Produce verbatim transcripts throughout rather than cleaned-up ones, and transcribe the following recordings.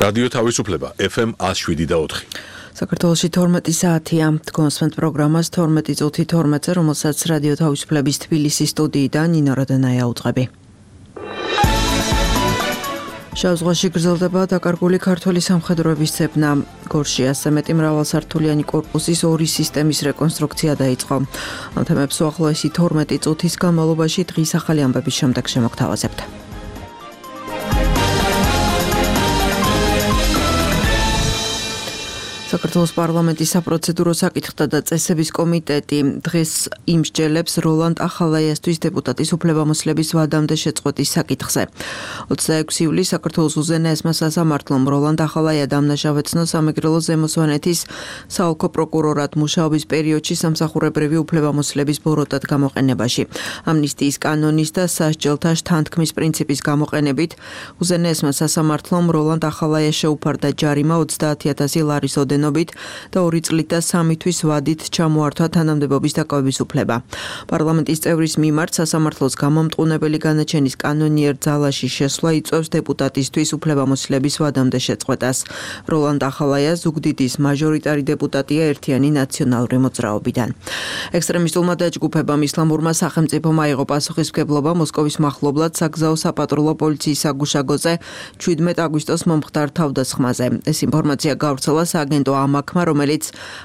რადიო თავისუფლება ეფ ემ one oh seven და four. საქართველოში თორმეტი საათია. გონსვენთ პროგრამას თორმეტი წუთი თორმეტზე, რომელსაც რადიო თავისუფლების თბილისის სტუდიიდან ნინო როდანაია უძღვები. შავ ზღვაში გრძელდება დაკარგული ქართველი სამხედროების ცებნა. გორში ასზე მეტი მრავალსართულიანი კორპუსის ორი სისტემის რეკონსტრუქცია დაიწყო. ამ თემებს უახლოესი თორმეტი წუთის განმავლობაში დღის ახალი ამბების შემდეგ შემოგთავაზებთ. საქართველოს პარლამენტის საპროცედურო საკითხთა და წესების კომიტეტი დღეს იმსჯელებს როლანდ ახალაიასთვის დეპუტატის უფლებამოსილების ვადამდე შეწყვეტის საკითხზე. ოცდაექვსი ივლისს საქართველოს უზენაესმა სასამართლომ როლანდ ახალაია დამნაშავეცნო სამეგრელო ზემო სვანეთის საოლქო პროკურორად მუშაობის პერიოდში სამსახურებრივი უფლებამოსილების ბოროტად გამოყენებაში. ამნისტიის კანონის და სასჯელთა შთანთქმის პრინციპის გამოყენებით უზენაესმა სასამართლომ როლანდ ახალაიას შეუფარდა ჯარიმა ოცდაათი ათასი ლარის და ორი წლით და სამი თვის ვადით ჩამოართვა თანამდებობის დაკავების უფლება. პარლამენტის წევრის მიმართ სასამართლოს გამომტყუნებელი განაჩენის კანონიერ ძალაში შესვლა იწვევს დეპუტატისთვის უფლებამოსილების ვადამდე შეწყვეტას. როლანდ ახალაია ზუგდიდის მაჟორიტარი დეპუტატია ერთიანი ნაციონალური მოძრაობიდან. ექსტრემისტულმა დაჯგუფებამ ისლამურმა სახელმწიფომ აიღო პასუხისმგებლობა მოსკოვის მახლობლად საგზაო საპატრულო პოლიციის საგუშაგოზე შვიდმეტ აგვისტოს მომხდარ თავდასხმაზე. ეს ინფორმაცია გავრცელა სააგენტო ამაქმა, რომელიც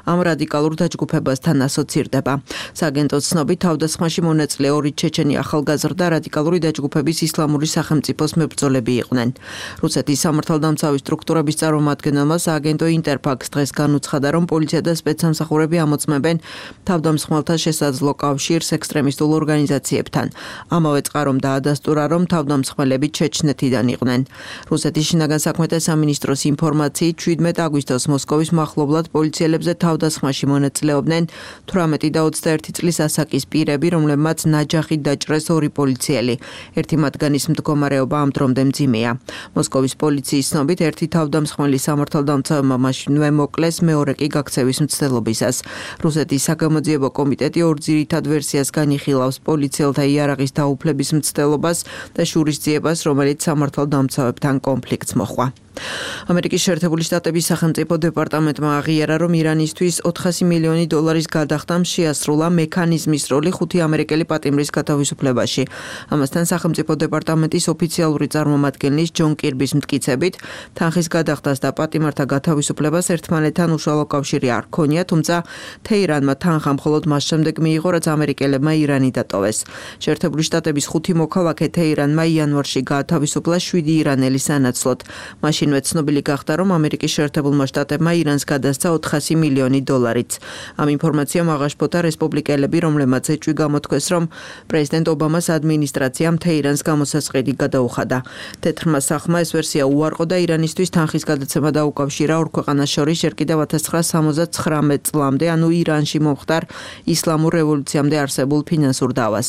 ამ რადიკალურ დაჯგუფებასთან ასოცირდება. სააგენტოს ცნობით თავდასხმაში მონაწილე ორი ჩეჩენი ახალგაზრდა რადიკალური დაჯგუფების ისლამური სახელმწიფოს მებრძოლები იყვნენ. რუსეთის სამართალდამცავი სტრუქტურების წარმომადგენელმა სააგენტო ინტერფაქს დღეს განუცხადა, რომ პოლიცია და სპეცსამსახურები ამოწმებენ თავდამსხმელთა შესაძლო კავშირს ექსტრემისტულ ორგანიზაციებთან. ამავე წყარომ დაადასტურა, რომ თავდამსხმელები ჩეჩნეთიდან იყვნენ. რუსეთის შინაგან საქმეთა სამინისტროს ინფორმაციით შვიდმეტ აგვისტოს მოსკოვის მახლობლად პოლიციელებზე თავდასხმაში მონაწილეობდნენ თვრამეტი და ოცდაერთი წლის ასაკის პირები, რომლებმაც ნაჯახით დაჭრეს ორი პოლიციელი. ერთი მათგანის მდგომარეობა ამ დრომდე მძიმეა. მოსკოვის პოლიციის ცნობით ერთი თავდამსხმელი სამართალდამცავმა მაშინვე მოკლეს, მეორე კი გაქცევის მცდელობისას. რუსეთის საგამოძიებო კომიტეტი ორ ძირითად ვერსიას განიხილავს: პოლიციელთა იარაღის დაუფლების მცდელობას და შურისძიებას, რომელიც სამართალდამცავებთან კონფლიქტს მოჰყვა. ამერიკის შეერთებული შტატების სახელმწიფო დეპარტამენტმა აღიარა, რომ ირანისთვის ოთხასი მილიონი დოლარის გადახდამ შეასრულა მექანიზმის როლი ხუთი ამერიკელი პატიმრის გათავისუფლებაში. ამასთან სახელმწიფო დეპარტამენტის ოფიციალური წარმომადგენლის ჯონ კირბის მტკიცებით, თანხის გადახდას და პატიმართა გათავისუფლებას ერთმანეთთან უშუალო კავშირი არ ჰქონია, თუმცა თეირანმა თანხა მხოლოდ მას შემდეგ მიიღო, რაც ამერიკელებმა ირანი დატოვეს. შეერთებული შტატების ხუთი მოქალაქე თეირანმა იანვარში გაათავისუფლა შვიდი ირანელი სანაცვლოდ. მაშინ ცნობილი გახდა, რომ ამერიკის შეერთებულმა შტატებმა ირანს გადასცა ოთხასი მილიონი დოლარიც. ამ ინფორმაციამ აღაშფოთა რესპუბლიკელები, რომლებმაც ეჭვი გამოთქვეს, რომ პრეზიდენტ ობამას ადმინისტრაციამ თეირანს გამოსასყიდი გადაუხადა. თეთრმა სახმა ეს ვერსია უარყო და ირანისთვის თანხის გადაცემა დაუკავშირა ორ ქვეყანას შორის ჯერ კიდევ ათას ცხრაასა სამოცდათხრამეტ წლამდე, ანუ ირანში მომხდარ ისლამურ რევოლუციამდე არსებულ ფინანსურ დავას.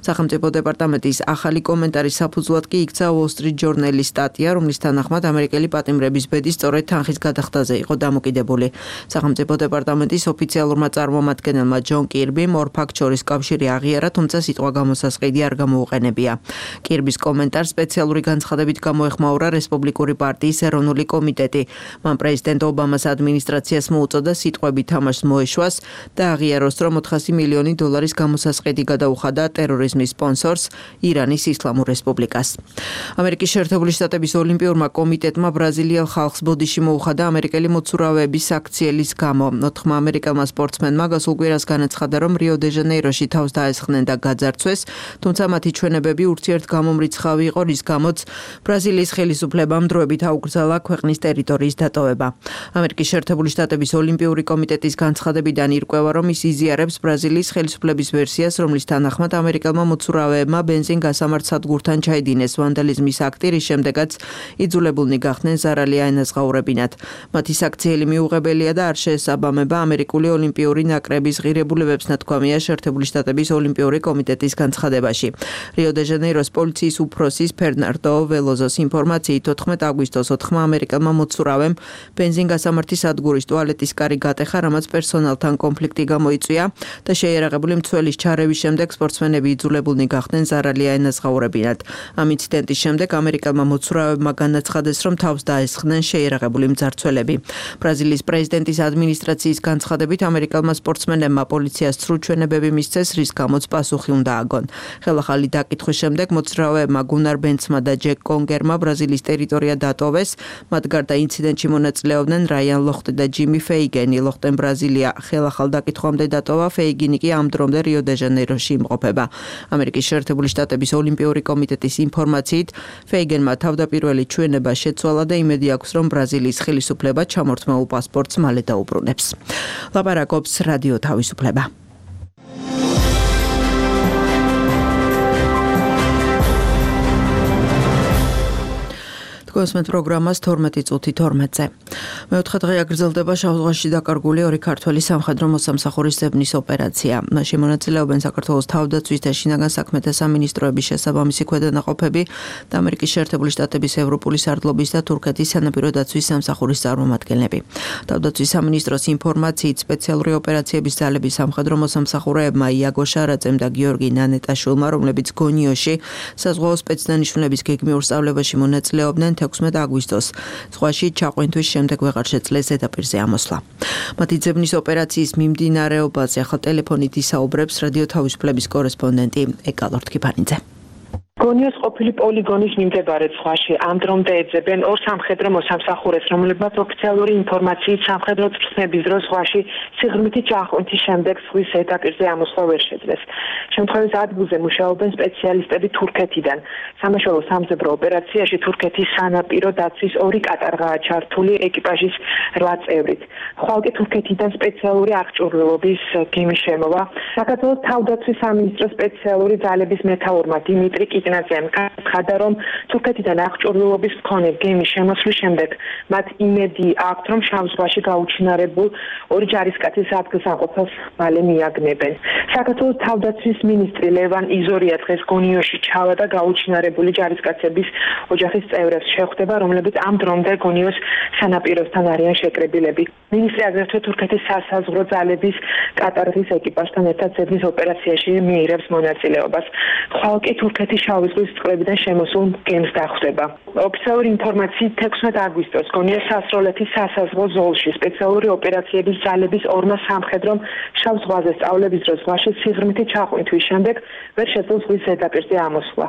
სახელმწიფო დეპარტამენტის ახალი კომენტარის საფუძვლად კი იქცა Wall Street Journal-ის სტატია, რომლის თანახმად ამერიკელი პატიმრების ბედი სწორედ თანხის გადახდაზე იყო დამოკიდებული. სახელმწიფო დეპარტამენტის ოფიციალურმა წარმომადგენელმა ჯონ კირბიმ ორ ფაქტს შორის კავშირი აღიარა, თუმცა სიტყვა გამოსასყიდი არ გამოუყენებია. კირბის კომენტარს სპეციალური განცხადებით გამოეხმაურა რესპუბლიკური პარტიის ეროვნული კომიტეტი. მან პრეზიდენტ ობამას ადმინისტრაციას მოუწოდა სიტყვები თამაშს მოეშვას და აღიაროს, რომ ოთხასი მილიონი დოლარის გამოსასყიდი გადაუხადა ტერორიზმის სპონსორს ირანის ისლამურ რესპუბლიკას. ამერიკის შეერთებული შტატების ოლიმპიურმა კომიტეტმა ბრაზილიელ ხალხს ბოდიში მოუხადა ამერიკელი მოცურავეების საქციელის გამო. ოთხმა ამერიკელმა სპორტსმენმა გასულ კვირას განაცხადა, რომ რიო-დე-ჟანეიროში თავს დაესხნენ და გაძარცვეს, თუმცა მათი ჩვენებები ურთიერთგამომრიცხავი იყო, რის გამოც ბრაზილიის ხელისუფლებამ დროებით აუკრძალა ქვეყნის ტერიტორიის დატოვება. ამერიკის შეერთებული შტატების ოლიმპიური კომიტეტის განცხადებიდან ირკვევა, რომ ის იზიარებს ბრაზილიის ხელისუფლების ვერსიას, რომლის თანახმად ამერიკელმა მოცურავეებმა ბენზინ გასამართ სადგურთან ჩაიდინეს ვანდალიზმის აქტი, რის შემდეგაც იძულებულნი გახდნენ ზარალი აენაზღაურებინათ. მათი საქციელი გრძელი მიუღებელია და არ შეესაბამება ამერიკული ოლიმპიური ნაკრების ღირებულებებს, ნათქვამია შეერთებული შტატების ოლიმპიური კომიტეტის განცხადებაში. რიო-დე-ჟანეიროს პოლიციის უფროსის ფერნანდო ველოზოს ინფორმაციით თოთხმეტ აგვისტოს ოთხმა ამერიკელმა მოცურავემ ბენზინგასამართი სადგურის ტუალეტის კარი გატეხა, რამაც პერსონალთან კონფლიქტი გამოიწვია და შეიარაღებული მცველის ჩარევის შემდეგ სპორტსმენები იძულებულნი გახდნენ ზარალია ენაზღაურებინათ. ამ ინციდენტის შემდეგ ამერიკელმა მოცურავებმა განაცხადეს, რომ თავს დაესხნენ შეიარაღებული მძარცველები. ბრაზილიის პრეზიდენტის ადმინისტრაციის განცხადებით ამერიკელმა სპორტსმენებმა პოლიციას სრულჩვენებები მისცეს, რის გამოც პასუხი უნდა აგონ. ხელახალი დაკითხვის შემდეგ მოცურავეებმა გუნარ ბენცმა და ჯეკ კონგერმა ბრაზილიის ტერიტორია დატოვეს. მათ გარდა ინციდენტში მონაწილეობდნენ რაიან ლოხტი და ჯიმი ფეიგენი. ლოხტემ ბრაზილია ხელახალ დაკითხვამდე დატოვა, ფეიგინი კი ამ დრომდე რიო-დე-ჟანეიროში იმყოფება. ამერიკის შეერთებული შტატების ოლიმპიური კომიტეტის ინფორმაციით ფეიგენმა თავდაპირველი ჩვენება შეცვალა და იმედი აქვს, რომ ბრაზილიის ხელისუფლება ჩამორთმეულ პასპორტს მალე დაუბრუნებს. ლაპარაკობს რადიო თავისუფლება. გოსმეთ პროგრამას თორმეტი წუთი თორმეტზე. მეოთხე დღე აგრძელდება შავ ზღვაში დაკარგული ორი ქართველი სამხედრო მოსამსახურის ძებნის ოპერაცია. მასში მონაწილეობენ საქართველოს თავდაცვის და შინაგან საქმეთა სამინისტროების შესაბამისი ქვედანაყოფები და ამერიკის შეერთებული შტატების ევროპული სარდლობის და თურქეთის სანაპირო დაცვის სამსახურის წარმომადგენლები. თავდაცვის სამინისტროს ინფორმაციით სპეციალური ოპერაციების ძალების სამხედრო მოსამსახურეებმა იაგო შარაძემ და გიორგი ნანეტაშვილმა, რომლებიც გონიოში საზღვაო სპეცდანიშნულების გეგმიურ სწავლებაში მონაწილეობდნენ თექვსმეტ აგვისტოს ზღვაში ჩაყვინთვის შემდეგ ვეღარ შეძლეს ზედაპირზე ამოსვლა. მათი ძებნის ოპერაციის მიმდინარეობაზე ახლა ტელეფონით ისაუბრებს რადიო თავისუფლების კორესპონდენტი ეკა ლორთქიფანიძე. გონიოს ყოფილი პოლიგონის მიმდებარე ზღვაში ამ დრომდე ეძებენ ორ სამხედრო მოსამსახურეს, რომლებმაც ოფიციალური ინფორმაციით სამხედრო წვრთნების დროს ზღვაში სიღრმითი ჩახვინთის შემდეგ ზღვის ზედაპირზე ამოსვლა ვერ შეძლეს. შემთხვევის ადგილზე მუშაობენ სპეციალისტები თურქეთიდან. სამაშველო სამძებრო ოპერაციაში თურქეთის სანაპირო დაცვის ორი კატარღაა ჩართული ეკიპაჟის რვა წევრით. ხვალკე თურქეთიდან სპეციალური აღჭურვილობის გემი შემოვა. საქართველოს თავდაცვის სამინისტროს სპეციალური ძალების მეთაურმა დიმიტრი კიკნაძემ განაცხადა, რომ თურქეთიდან აღჭურვილობის მქონე გემის შემოსვლის შემდეგ მათ იმედი აქვთ, რომ შავ ზღვაში გაუჩინარებულ ორი ჯარისკაცის ადგილსამყოფელს მალე მიაგნებენ. საქართველოს თავდაცვის მინისტრი ლევან იზორია დღეს გონიოში ჩავა და გაუჩინარებული ჯარისკაცების ოჯახის წევრებს შეხვდება, რომლებიც ამ დრომდე გონიოს სანაპიროსთან არიან შეკრებილები. მინისტრი აგრეთვე თურქეთის სასაზღვრო ძალების კატარღის ეკიპაჟთან ერთად ძებნის ოპერაციაში მიიღებს მონაწილეობას. ხვალკე თურქეთის შავი ზღვის წყლებიდან შემოსულ გემს დახვდება. ოფიციალური ინფორმაციით თექვსმეტ აგვისტოს გონიოს სასროლეთის სასაზღვრო ზოლში სპეციალური ოპერაციების ძალების ორმა სამხედრომ შავ ზღვაზე სწავლების დროს ზღვაში სიღრმითი ჩაყვინთვის შემდეგ ვერ შეძლო ზღვის ზედაპირზე ამოსვლა.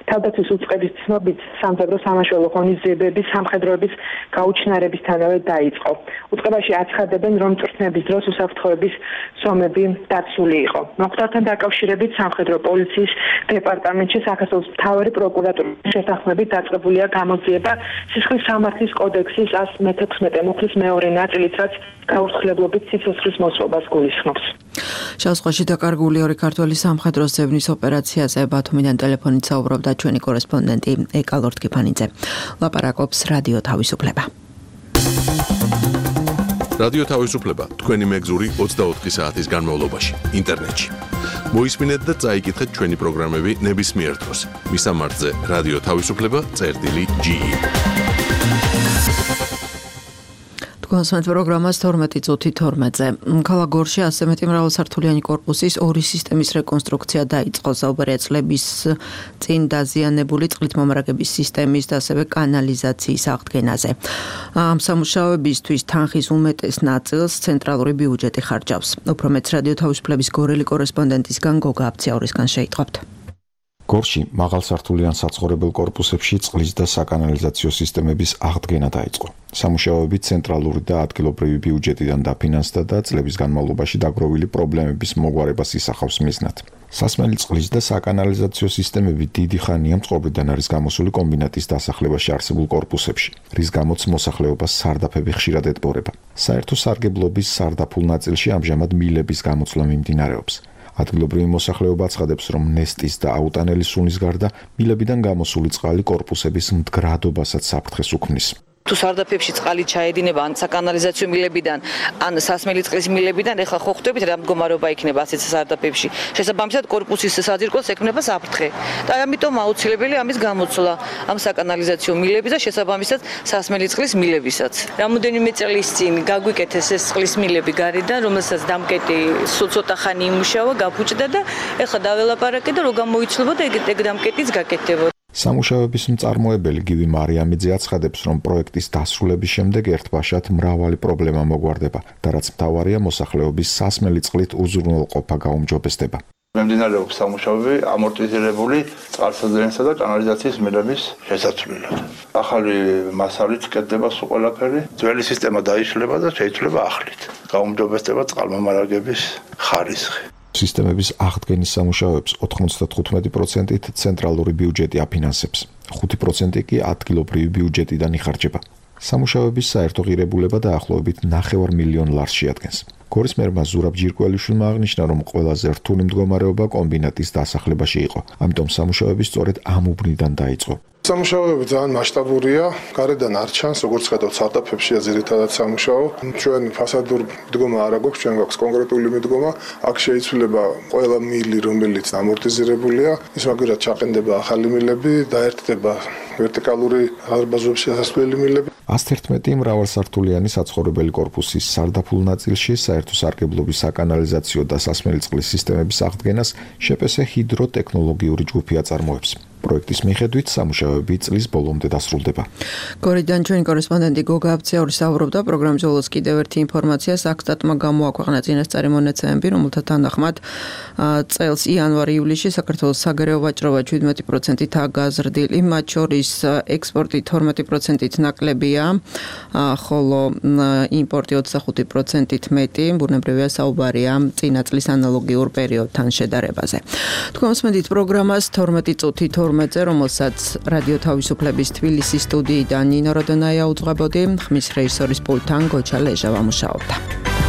თავდაცვის უწყების ცნობით სამხედრო სამაშველო ღონისძიებების სამხედროების გაუჩინარებისთანავე დაიწყო. უწყებაში აცხადებენ, რომ წვრთნების დროს უსაფრთხოების ზომები დაცული იყო. მოხდართან დაკავშირებით სამხედრო პოლიციის დეპარტამენტში საქართველოს მთავარი პროკურატურის შეთანხმებით დაწყებულია გამოძიება სისხლის სამართლის კოდექსის ასი მეთექვსმეტე მუხლის მეორე ნაწილით, რაც გაურთქლებლობით სიცოცხლის მოსვობას გულისხმობს. შავ ზღვაში დაკარგული ორი ქართველი სამხედროს ძებნის ოპერაციაზე ბათუმიდან ტელეფონით საუბრობდა ჩვენი კორესპონდენტი ეკა ლორთქიფანიძე. ლაპარაკობს რადიო თავისუფლება. რადიო თავისუფლება თქვენი მეგზური ოცდაოთხი საათის განმავლობაში ინტერნეტში. მოისმინეთ და წაიკითხეთ ჩვენი პროგრამები ნებისმიერ დროს. მისამართზე რადიო თავისუფლება წერტილი ჯი ი. გოსმეთ პროგრამას თორმეტი წუთი თორმეტზე. ქალაქ გორში ასზე მეტი მრავალსართულიანი კორპუსის ორი სისტემის რეკონსტრუქცია დაიწყო. საუბარია წლების წინ დაზიანებული წყლით მომარაგების სისტემის და ასევე კანალიზაციის აღდგენაზე. ამ სამუშაოებისთვის თანხის უმეტეს ნაწილს ცენტრალური ბიუჯეტი ხარჯავს. უფრო მეტს რადიო თავისუფლების გორელი კორესპონდენტისგან გოგა აბციაურისგან შეიტყობთ. გორში მაღალსართულიან საცხოვრებელ კორპუსებში წყლის და საკანალიზაციო სისტემების აღდგენა დაიწყო. სამუშაოები ცენტრალური და ადგილობრივი ბიუჯეტიდან დაფინანსდა და წლების განმავლობაში დაგროვილი პრობლემების მოგვარებას ისახავს მიზნად. სასმელი წყლის და საკანალიზაციო სისტემები დიდი ხანია მწყობრიდან არის გამოსული კომბინატის დასახლებაში არსებულ კორპუსებში, რის გამოც მოსახლეობას სარდაფები ხშირად ეტბორება. საერთო სარგებლობის სარდაფულ ნაწილში ამჟამად მილების გამოცვლა მიმდინარეობს. ადგილობრივი მოსახლეობა აცხადებს, რომ ნესტის და აუტანელი სუნის გარდა მილებიდან გამოსული წყალი კორპუსების მდგრადობასაც საფრთხეს უქმნის. თუ სარდაფებში წყალი ჩაედინება ან საკანალიზაციო მილებიდან, ან სასმელი წყლის მილებიდან, ეხლა ხო ხვდებით რა მდგომარეობა იქნება ასეთ სარდაფებში. შესაბამისად კორპუსის საძირკველს ექმნება საფრთხე. და ამიტომ აუცილებელი ამის გამოცვლა ამ საკანალიზაციო მილების და შესაბამისად სასმელი წყლის მილებისაც. რამოდენიმე წლის წინ გაგვიკეთეს ეს წყლის მილები გარედან, რომელსაც დამკეტი სულ ცოტა ხანი იმუშავა, გაფუჭდა და ეხლა დაველაპარაკე და რო გამოიცვლებოდა ეგ დამკეტიც გაკეთდებოდა. სამუშაოების მწარმოებელი გივი მარიამიძე აცხადებს, რომ პროექტის დასრულების შემდეგ ერთბაშად მრავალი პრობლემა მოგვარდება და რაც მთავარია, მოსახლეობის სასმელი წყლით უზრუნველყოფა გაუმჯობესდება. მიმდინარეობს სამუშაოები ამორტიზირებული წყალსადენისა და კანალიზაციის მილების შესაცვლელად. ახალი მასალით კეთდება სულ ყველაფერი, ძველი სისტემა დაიშლება და შეიცვლება ახლით. გაუმჯობესდება წყალმომარაგების ხარისხი. სისტემების აღდგენის სამუშაოებს ოთხმოცდათხუთმეტი პროცენტით ცენტრალური ბიუჯეტი აფინანსებს, ხუთი პროცენტი კი ადგილობრივი ბიუჯეტიდან იხარჯება. სამუშაოების საერთო ღირებულება დაახლოებით ნახევარ მილიონ ლარს შეადგენს. გორის მერმა ზურაბ ჯირკველიშვილმა აღნიშნა, რომ ყველაზე რთული მდგომარეობა კომბინატის დასახლებაში იყო, ამიტომ სამუშაოები სწორედ ამ უბნიდან დაიწყო. სამუშაოები ძალიან მასშტაბურია, გარედან არ ჩანს, როგორც ხედავთ, სარდაფებშია ძირითადად სამუშაო. ჩვენ ფასადურ მდგომა არ აქვს, ჩვენ გვაქვს კონკრეტული მიდგომა. აქ შეიცვლება ყველა მილი, რომელიც ამორტიზირებულია, ის მაგერად ჩაყენდება ახალი მილები, დაერთდება ვერტიკალური დარბაზობის შესასვლელი მილები. ას ერთმეტი მრავალსართულიანი საცხოვრებელი კორპუსის სარდაფულ ნაწილში საერთო სარგებლობის საკანალიზაციო და სასმელი წყლის სისტემების აღდგენას შეპესე ჰიდროტექნოლოგიური ჯგუფი აწარმოებს. პროექტის მიხედვით სამუშაოები წლის ბოლომდე დასრულდება. გორიდან ჩვენი კორესპონდენტი გოგა აბციური საუბრობდა პროგრამის ბოლოს კიდევ ერთი ინფორმაცია საქსტატმა გამოაქვეყნა წინასწარი მონაცემები, რომელთა თანახმად წელს იანვარ-ივლისში საქართველოს საგარეო ვაჭრობა შვიდმეტი პროცენტით გაზრდილი, მათ შორის ექსპორტი თორმეტი პროცენტით ნაკლებია, ხოლო იმპორტი ოცდახუთი პროცენტით მეტი, ბუნებრივია საუბარია წინა წლის ანალოგიურ პერიოდთან შედარებაზე. თქვენ მოსმენთ პროგრამას თორმეტი წუთი თორმეტზე, რომელსაც რადიო თავისუფლების თბილისის სტუდიიდან ნინო როდონაია უძღვებოდი, ხმის რეჟისორის პულტთან გოჩა ლეჟა ვამუშაობდა.